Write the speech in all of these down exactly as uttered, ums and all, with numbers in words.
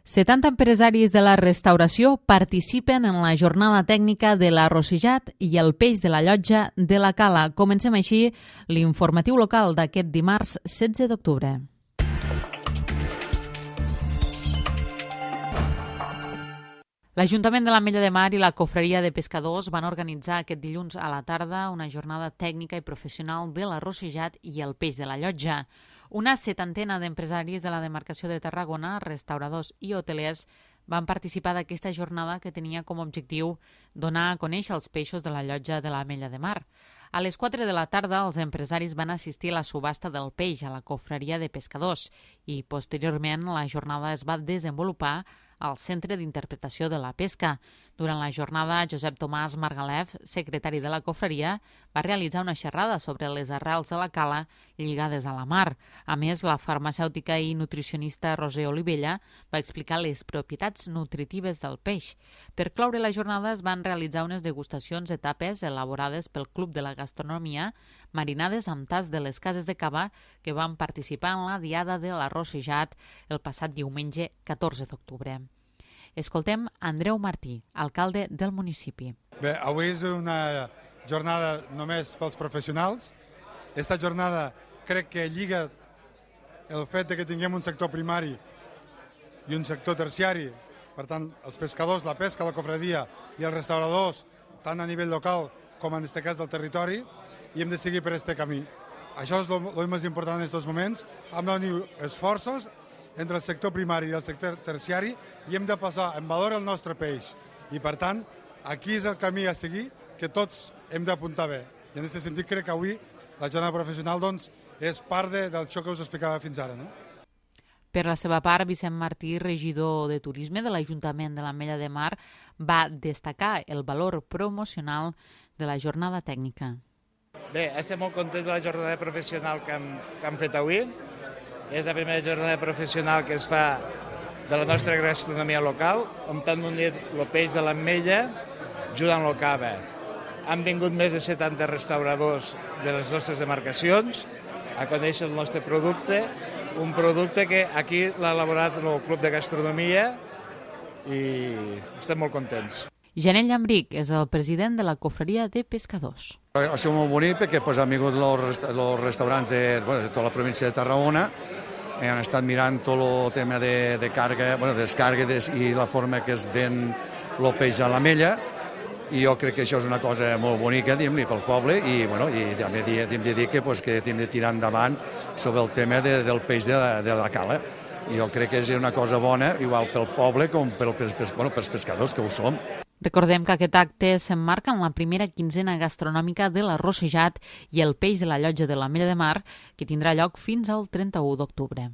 setanta empresaris de la restauració participen en la jornada tècnica de l'arrossejat i el peix de la llotja de la Cala. Comencem així l'informatiu local d'aquest dimarts setze d'octubre. L'Ajuntament de l'Ametlla de Mar i la Cofreria de Pescadors van organitzar aquest dilluns a la tarda una jornada tècnica i professional de l'arrossejat i el peix de la llotja. Una setantena d'empresaris de la demarcació de Tarragona, restauradors i hotelers, van participar d'aquesta jornada que tenia com a objectiu donar a conèixer els peixos de la llotja de l'Ametlla de Mar. A les quatre de la tarda, els empresaris van assistir a la subhasta del peix a la Cofreria de Pescadors i, posteriorment, la jornada es va desenvolupar al Centre d'Interpretació de la Pesca. Durant la jornada, Josep Tomàs Margalef, secretari de la Cofreria, va realitzar una xerrada sobre les arrels de la cala lligades a la mar. A més, la farmacèutica i nutricionista Roser Olivella va explicar les propietats nutritives del peix. Per cloure la jornada es van realitzar unes degustacions de tapes elaborades pel Club de la Gastronomia, marinades amb tas de les cases de cava que van participar en la diada de l'arrossejat el passat diumenge catorze d'octubre. Escoltem Andreu Martí, alcalde del municipi. Bé, avui és una jornada només pels professionals. Esta jornada crec que lliga el fet que tinguem un sector primari i un sector terciari. Per tant, els pescadors, la pesca, la cofredia i els restauradors, tant a nivell local com en aquest cas del territori, i hem de seguir per aquest camí. Això és el més important en aquests moments. Hem d'unir esforços entre el sector primari i el sector terciari i hem de passar en valor el nostre peix. I, per tant, aquí és el camí a seguir que tots hem d'apuntar bé. I en aquest sentit crec que avui la jornada professional doncs, és part de, del xoc que us explicava fins ara. No? Per la seva part, Vicent Martí, regidor de Turisme de l'Ajuntament de l'Ametlla de Mar, va destacar el valor promocional de la jornada tècnica. Bé, estem molt contents de la jornada professional que hem, que hem fet avui. És la primera jornada professional que es fa de la nostra gastronomia local, on han unit el peix de l'Ametlla junt amb el cava. Han vingut més de setanta restauradors de les nostres demarcacions a conèixer el nostre producte, un producte que aquí l'ha elaborat el Club de Gastronomia i estem molt contents. Janel Llambric és el president de la Cofreria de Pescadors. Ha sigut molt bonic perquè pues, han vingut els restaurants de, bueno, de tota la província de Tarragona i han estat mirant tot el tema de, de càrrega, bueno, de descàrrega des, i la forma que es ven el peix a l'Ametlla, i jo crec que això és una cosa molt bonica pel poble i, bueno, i també hem de dir que, pues, que hem de tirar endavant sobre el tema de, del peix de la, de la cala. I jo crec que és una cosa bona, igual pel poble com pel, pels, bueno, pels pescadors, que ho som. Recordem que aquest acte s'emmarca en la primera quinzena gastronòmica de l'arrossejat i el peix de la llotja de l'Ametlla de Mar, que tindrà lloc fins al trenta-u d'octubre.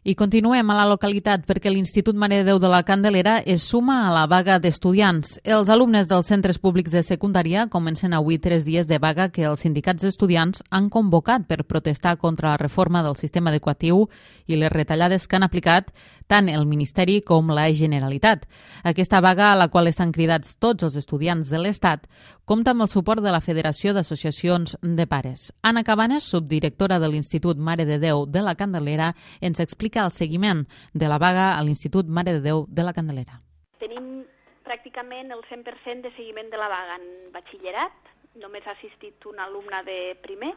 I continuem a la localitat perquè l'Institut Mare de Déu de la Candelera es suma a la vaga d'estudiants. Els alumnes dels centres públics de secundària comencen avui tres dies de vaga que els sindicats d'estudiants han convocat per protestar contra la reforma del sistema educatiu i les retallades que han aplicat tant el Ministeri com la Generalitat. Aquesta vaga, a la qual estan cridats tots els estudiants de l'Estat, compta amb el suport de la Federació d'Associacions de Pares. Anna Cabanes, subdirectora de l'Institut Mare de Déu de la Candelera, ens explica el seguiment de la vaga a l'Institut Mare de Déu de la Candelera. Tenim pràcticament el cent per cent de seguiment de la vaga en batxillerat, només ha assistit un alumne de primer,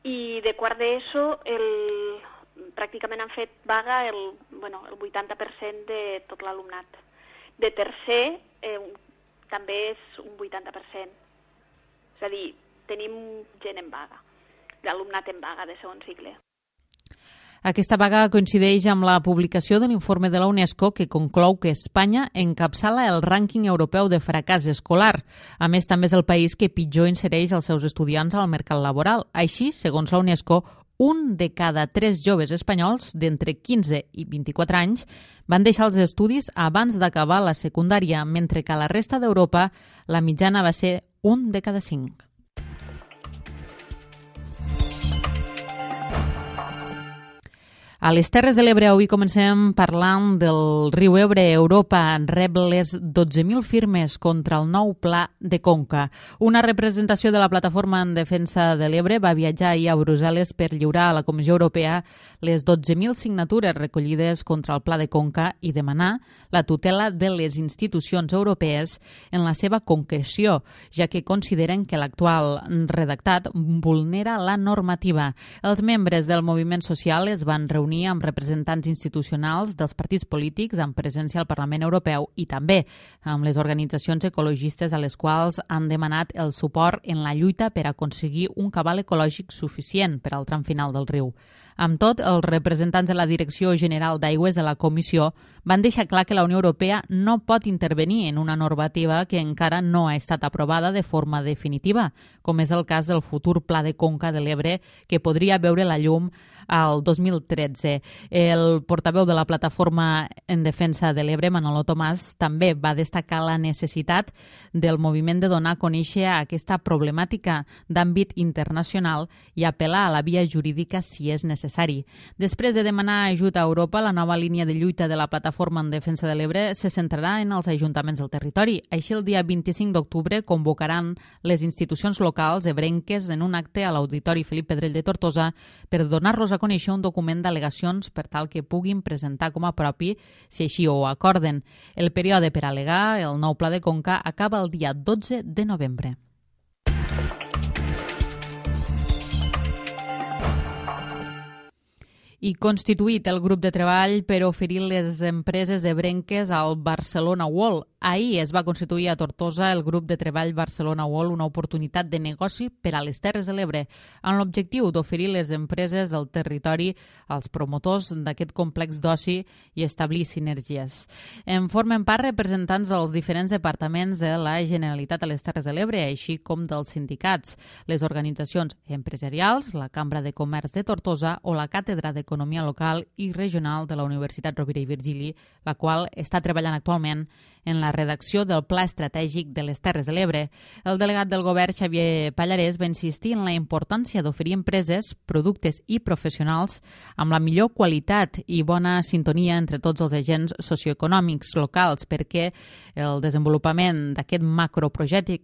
i de quart d'ESO el, pràcticament han fet vaga el, bueno, el vuitanta per cent de tot l'alumnat. De tercer eh, també és un vuitanta per cent, és a dir, tenim gent en vaga, l'alumnat en vaga de segon cicle. Aquesta vaga coincideix amb la publicació de l'informe de la UNESCO que conclou que Espanya encapçala el rànquing europeu de fracàs escolar. A més, també és el país que pitjor insereix els seus estudiants al mercat laboral. Així, segons la UNESCO, un de cada tres joves espanyols d'entre quinze i vint-i-quatre anys van deixar els estudis abans d'acabar la secundària, mentre que a la resta d'Europa la mitjana va ser un de cada cinc. A les Terres de l'Ebre avui comencem parlant del riu Ebre. Europa rep les dotze mil firmes contra el nou pla de conca. Una representació de la Plataforma en Defensa de l'Ebre va viatjar ahir a Brussel·les per lliurar a la Comissió Europea les dotze mil signatures recollides contra el pla de conca i demanar la tutela de les institucions europees en la seva concreció, ja que consideren que l'actual redactat vulnera la normativa. Els membres del moviment social es van reunir amb representants institucionals dels partits polítics amb presència al Parlament Europeu i també amb les organitzacions ecologistes a les quals han demanat el suport en la lluita per aconseguir un cabal ecològic suficient per al tram final del riu. Amb tot, els representants de la Direcció General d'Aigües de la Comissió van deixar clar que la Unió Europea no pot intervenir en una normativa que encara no ha estat aprovada de forma definitiva, com és el cas del futur Pla de Conca de l'Ebre, que podria veure la llum al dos mil tretze. El portaveu de la Plataforma en Defensa de l'Ebre, Manolo Tomàs, també va destacar la necessitat del moviment de donar a conèixer aquesta problemàtica d'àmbit internacional i apel·lar a la via jurídica si és necessari. Després de demanar ajut a Europa, la nova línia de lluita de la Plataforma en Defensa de l'Ebre se centrarà en els ajuntaments del territori. Així, el dia vint-i-cinc d'octubre convocaran les institucions locals ebrenques en un acte a l'Auditori Felip Pedrell de Tortosa per donar-los a conèixer un document d'al·legacions per tal que puguin presentar com a propi si així ho acorden. El període per al·legar el nou pla de conca acaba el dia dotze de novembre. I constituït el grup de treball per oferir les empreses ebrenques al Barcelona World. Ahir es va constituir a Tortosa el grup de treball Barcelona World, una oportunitat de negoci per a les Terres de l'Ebre, amb l'objectiu d'oferir les empreses del territori als promotors d'aquest complex d'oci i establir sinergies. En formen part representants dels diferents departaments de la Generalitat a les Terres de l'Ebre, així com dels sindicats, les organitzacions empresarials, la Cambra de Comerç de Tortosa o la Càtedra d'Economia Local i Regional de la Universitat Rovira i Virgili, la qual està treballant actualment en la redacció del Pla Estratègic de les Terres de l'Ebre. El delegat del govern, Xavier Pallarès, va insistir en la importància d'oferir empreses, productes i professionals amb la millor qualitat i bona sintonia entre tots els agents socioeconòmics locals perquè el desenvolupament d'aquest macroprojecte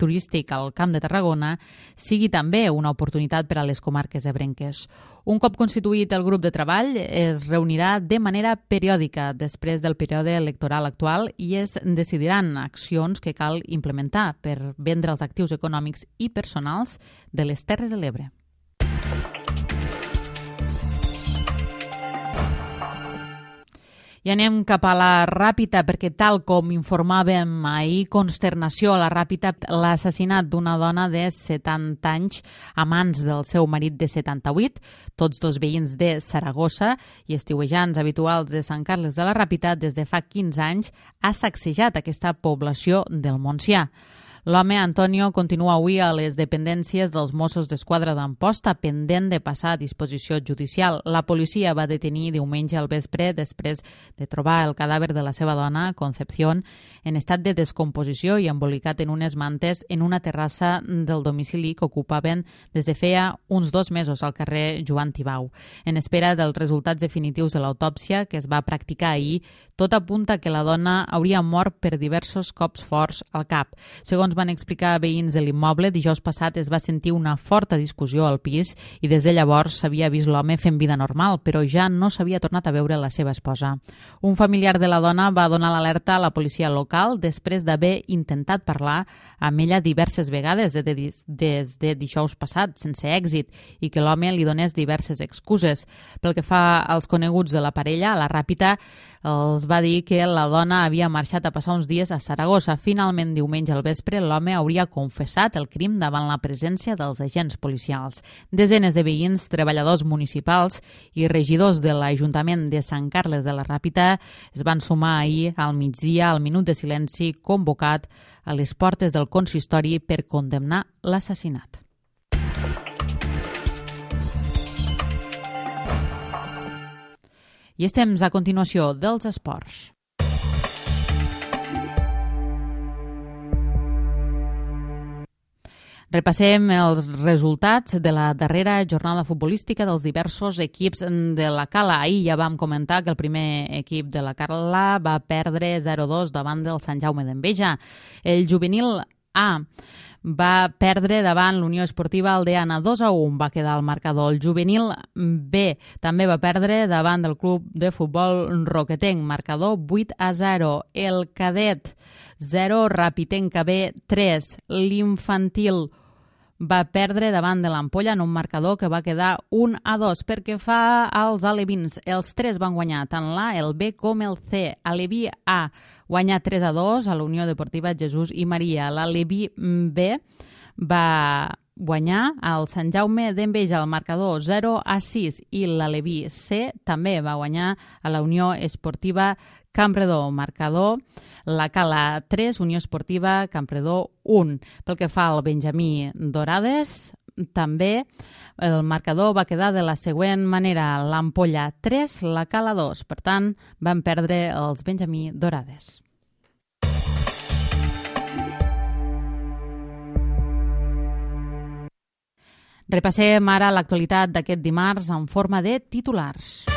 turístic al Camp de Tarragona sigui també una oportunitat per a les comarques ebrenques. Un cop constituït el grup de treball, es reunirà de manera periòdica després del període electoral actual i es decidiran accions que cal implementar per vendre els actius econòmics i personals de les Terres de l'Ebre. I anem cap a la Ràpita perquè, tal com informàvem ahir, consternació a la Ràpita, l'assassinat d'una dona de setanta anys a mans del seu marit de setanta-vuit, tots dos veïns de Saragossa i estiuejants habituals de Sant Carles de la Ràpita des de fa quinze anys, ha sacsejat aquesta població del Montsià. L'home, Antonio, continua avui a les dependències dels Mossos d'Esquadra d'Amposta, pendent de passar a disposició judicial. La policia va detenir diumenge al vespre després de trobar el cadàver de la seva dona, Concepción, en estat de descomposició i embolicat en unes mantes en una terrassa del domicili que ocupaven des de feia uns dos mesos al carrer Joan Tibau. En espera dels resultats definitius de l'autòpsia que es va practicar ahir, tot apunta que la dona hauria mort per diversos cops forts al cap. Segons van explicar veïns de l'immoble, dijous passat es va sentir una forta discussió al pis i des de llavors s'havia vist l'home fent vida normal, però ja no s'havia tornat a veure la seva esposa. Un familiar de la dona va donar l'alerta a la policia local després d'haver intentat parlar amb ella diverses vegades des de dijous passat, sense èxit, i que l'home li donés diverses excuses. Pel que fa als coneguts de la parella, a la Ràpita els va dir que la dona havia marxat a passar uns dies a Saragossa. Finalment, diumenge al vespre, l'home hauria confessat el crim davant la presència dels agents policials. Desenes de veïns, treballadors municipals i regidors de l'Ajuntament de Sant Carles de la Ràpita es van sumar ahir al migdia al minut de silenci convocat a les portes del consistori per condemnar l'assassinat. I estem a continuació dels esports. Repassem els resultats de la darrera jornada futbolística dels diversos equips de la Cala. Ahir ja vam comentar que el primer equip de la Cala va perdre zero dos davant del Sant Jaume d'Enveja. El juvenil A va perdre davant l'Unió Esportiva Aldeana dos a un, va quedar el marcador. El juvenil B també va perdre davant del club de futbol Roquetenc, marcador vuit a zero. El cadet zero, Rapitenca B tres. L'infantil va perdre davant de l'Ampolla en un marcador que va quedar un a dos. Perquè fa als alevins, els tres van guanyar, tant l'A, el B com el C. Aleví A guanyar tres a dos a la Unió Deportiva Jesús i Maria. L'Aleví B va guanyar al Sant Jaume d'Enveja, el marcador zero a sis, i l'Aleví C també va guanyar a la Unió Esportiva Campredó, marcador la Cala tres, Unió Esportiva Campredó un. Pel que fa al Benjamí Dorades, també el marcador va quedar de la següent manera: l'Ampolla tres, la Cala dos. Per tant, van perdre els Benjamí Dorades. Repassem ara l'actualitat d'aquest dimarts en forma de titulars.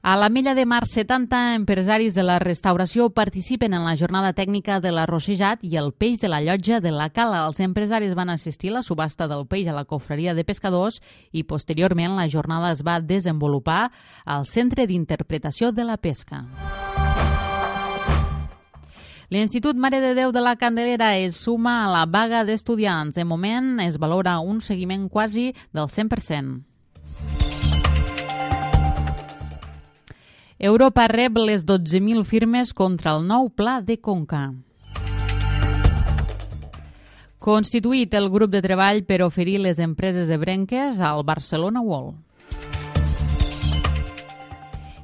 A l'Ametlla de Mar, setanta empresaris de la restauració participen en la jornada tècnica de l'arrossejat i el peix de la llotja de la Cala. Els empresaris van assistir a la subhasta del peix a la cofreria de pescadors i posteriorment la jornada es va desenvolupar al Centre d'Interpretació de la Pesca. L'Institut Mare de Déu de la Candelera es suma a la vaga d'estudiants. De moment es valora un seguiment quasi del cent per cent. Europa rep les dotze mil firmes contra el nou pla de Conca. Constituït el grup de treball per oferir les empreses ebrenques al Barcelona World.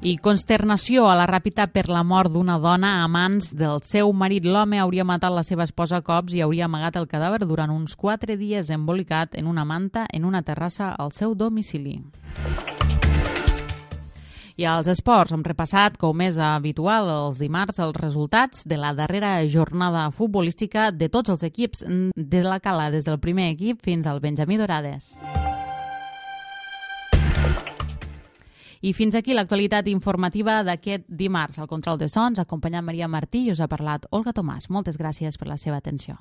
I consternació a la Ràpita per la mort d'una dona a mans del seu marit. L'home hauria matat la seva esposa a cops i hauria amagat el cadàver durant uns quatre dies embolicat en una manta en una terrassa al seu domicili. I als esports hem repassat, com és habitual els dimarts, els resultats de la darrera jornada futbolística de tots els equips de la Cala, des del primer equip fins al Benjamí Dorades. I fins aquí l'actualitat informativa d'aquest dimarts. Al control de sons, acompanyant Maria Martí, i us ha parlat Olga Tomàs. Moltes gràcies per la seva atenció.